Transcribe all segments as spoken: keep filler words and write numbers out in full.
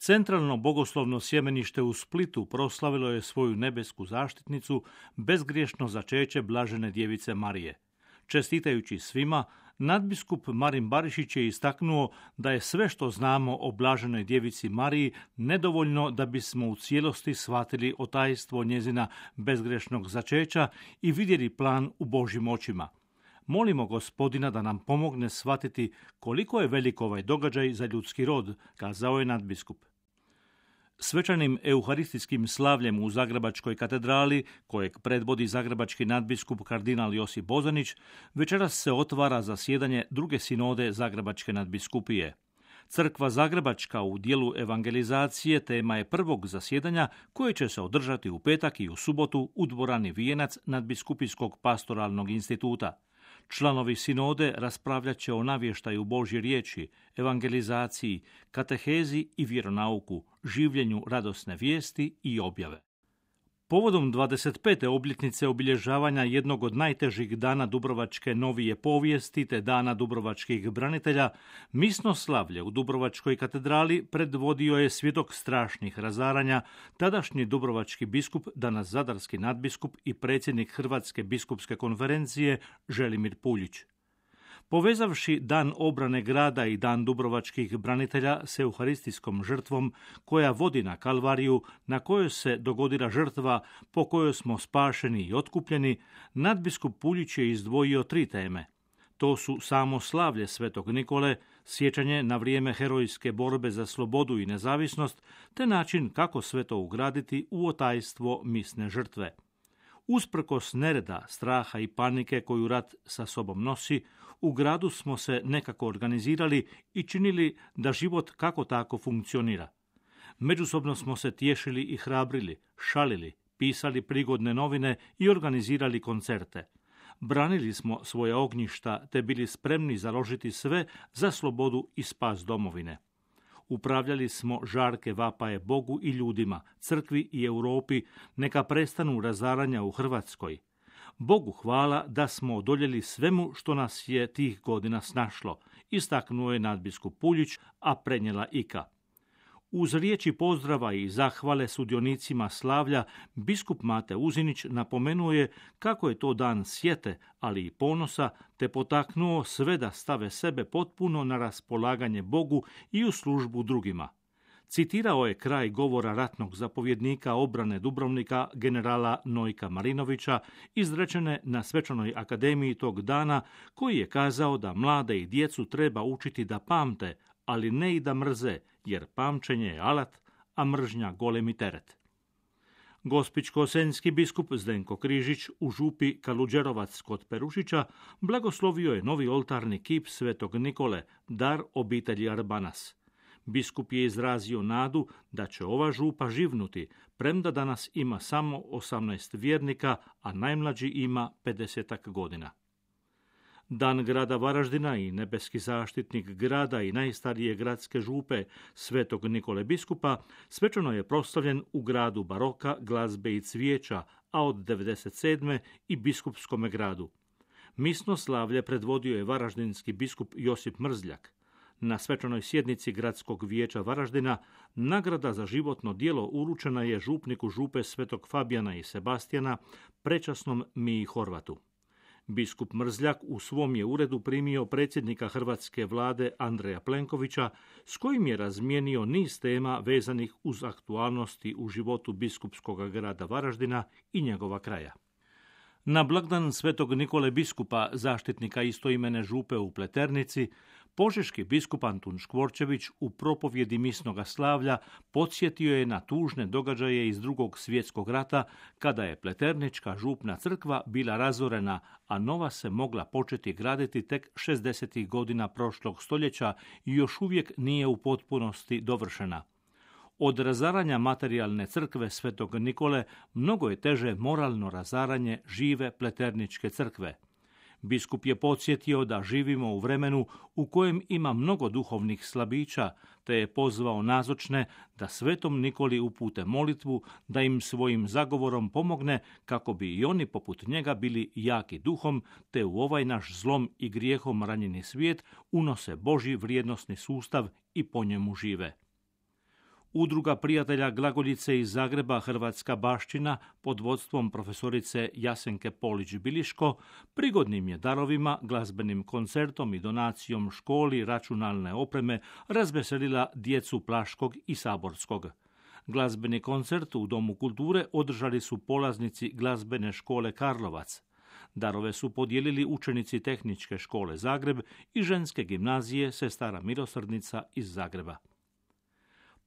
Centralno bogoslovno sjemenište u Splitu proslavilo je svoju nebesku zaštitnicu, bezgriješno začeće blažene djevice Marije. Čestitajući svima, nadbiskup Marin Barišić je istaknuo da je sve što znamo o blaženoj djevici Mariji nedovoljno da bismo u cijelosti shvatili otajstvo njezina bezgrešnog začeća i vidjeli plan u Božjim očima. Molimo Gospodina da nam pomogne shvatiti koliko je velik ovaj događaj za ljudski rod, kazao je nadbiskup. Svečanim euharistijskim slavljem u Zagrebačkoj katedrali, kojeg predvodi zagrebački nadbiskup kardinal Josip Bozanić, večeras se otvara zasjedanje druge sinode Zagrebačke nadbiskupije. Crkva Zagrebačka u dijelu evangelizacije tema je prvog zasjedanja koje će se održati u petak i u subotu u dvorani Vijenac nadbiskupijskog pastoralnog instituta. Članovi sinode raspravljat će o navještaju Božje riječi, evangelizaciji, katehezi i vjeronauku, življenju radosne vijesti i objave. Povodom dvadeset pete obljetnice obilježavanja jednog od najtežih dana dubrovačke novije povijesti te dana dubrovačkih branitelja, misno slavlje u Dubrovačkoj katedrali predvodio je svjedok strašnih razaranja, tadašnji dubrovački biskup, danas zadarski nadbiskup i predsjednik Hrvatske biskupske konferencije Želimir Puljić. Povezavši dan obrane grada i dan dubrovačkih branitelja s euharistijskom žrtvom koja vodi na Kalvariju, na kojoj se dogodila žrtva po kojoj smo spašeni i otkupljeni, nadbiskup Puljić je izdvojio tri teme. To su samo slavlje Svetog Nikole, sjećanje na vrijeme herojske borbe za slobodu i nezavisnost, te način kako sve to ugraditi u otajstvo misne žrtve. Usprkos nereda, straha i panike koju rat sa sobom nosi, u gradu smo se nekako organizirali i činili da život kako tako funkcionira. Međusobno smo se tješili i hrabrili, šalili, pisali prigodne novine i organizirali koncerte. Branili smo svoje ognjišta te bili spremni založiti sve za slobodu i spas domovine. Upravljali smo žarke vapaje Bogu i ljudima, crkvi i Europi, neka prestanu razaranja u Hrvatskoj. Bogu hvala da smo odoljeli svemu što nas je tih godina snašlo, istaknuo je nadbiskup Puljić, a prenijela Ika. Uz riječi pozdrava i zahvale sudionicima slavlja, biskup Mate Uzinić napomenuo je kako je to dan sjete, ali i ponosa, te potaknuo sve da stave sebe potpuno na raspolaganje Bogu i u službu drugima. Citirao je kraj govora ratnog zapovjednika obrane Dubrovnika generala Nojka Marinovića, izrečene na Svečanoj akademiji tog dana, koji je kazao da mlade i djecu treba učiti da pamte, ali ne i da mrze, jer pamćenje je alat, a mržnja golemi teret. Gospićko-senjski biskup Zdenko Križić u župi Kaluđerovac kod Perušića blagoslovio je novi oltarni kip Svetog Nikole, dar obitelji Arbanas. Biskup je izrazio nadu da će ova župa živnuti, premda danas ima samo osamnaest vjernika, a najmlađi ima pedesetak godina. Dan grada Varaždina i nebeski zaštitnik grada i najstarije gradske župe Svetog Nikole biskupa svečano je proslavljen u gradu baroka, glazbe i cvijeća, a od devedeset sedme i biskupskome gradu. Misno slavlje predvodio je varaždinski biskup Josip Mrzljak. Na svečanoj sjednici Gradskog vijeća Varaždina nagrada za životno djelo uručena je župniku župe Svetog Fabijana i Sebastijana, prečasnom Miji Horvatu. Biskup Mrzljak u svom je uredu primio predsjednika hrvatske vlade Andreja Plenkovića, s kojim je razmijenio niz tema vezanih uz aktualnosti u životu biskupskog grada Varaždina i njegova kraja. Na blagdan Svetog Nikole biskupa, zaštitnika istoimene župe u Pleternici, požeški biskup Antun Škvorčević u propovjedi misnoga slavlja podsjetio je na tužne događaje iz Drugog svjetskog rata, kada je Pleternička župna crkva bila razorena, a nova se mogla početi graditi tek šezdesetih godina prošlog stoljeća i još uvijek nije u potpunosti dovršena. Od razaranja materijalne crkve Svetog Nikole mnogo je teže moralno razaranje žive Pleterničke crkve. Biskup je podsjetio da živimo u vremenu u kojem ima mnogo duhovnih slabića, te je pozvao nazočne da Svetom Nikoli upute molitvu, da im svojim zagovorom pomogne kako bi i oni poput njega bili jaki duhom, te u ovaj naš zlom i grijehom ranjeni svijet unose Božji vrijednosni sustav i po njemu žive. Udruga prijatelja glagoljice iz Zagreba Hrvatska baština pod vodstvom profesorice Jasenke Polić-Biliško prigodnim je darovima, glazbenim koncertom i donacijom školi računalne opreme razveselila djecu Plaškog i Saborskog. Glazbeni koncert u Domu kulture održali su polaznici glazbene škole Karlovac. Darove su podijelili učenici Tehničke škole Zagreb i ženske gimnazije Sestara milosrdnica iz Zagreba.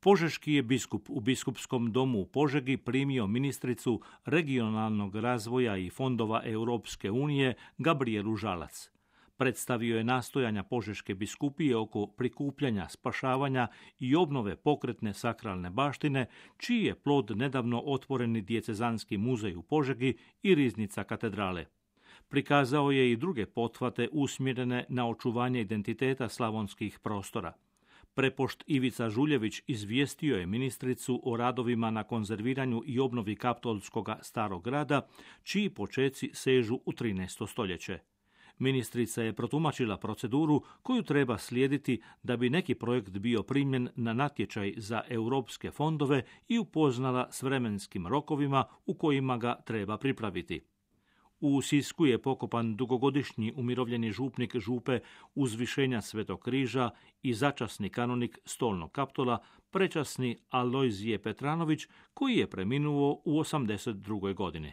Požeški je biskup u biskupskom domu u Požegi primio ministricu regionalnog razvoja i fondova Europske unije Gabrijelu Žalac. Predstavio je nastojanja Požeške biskupije oko prikupljanja, spašavanja i obnove pokretne sakralne baštine, čiji je plod nedavno otvoreni dijecezanski muzej u Požegi i riznica katedrale. Prikazao je i druge pothvate usmjerene na očuvanje identiteta slavonskih prostora. Prepošt Ivica Žuljević izvijestio je ministricu o radovima na konzerviranju i obnovi Kaptolskog starog grada, čiji počeci sežu u trinaesto stoljeće. Ministrica je protumačila proceduru koju treba slijediti da bi neki projekt bio primljen na natječaj za europske fondove i upoznala s vremenskim rokovima u kojima ga treba pripraviti. U Sisku je pokopan dugogodišnji umirovljeni župnik župe Uzvišenja Svetog križa i začasni kanonik Stolnog Kaptola, prečasni Alojzije Petranović, koji je preminuo u osamdeset drugoj godini.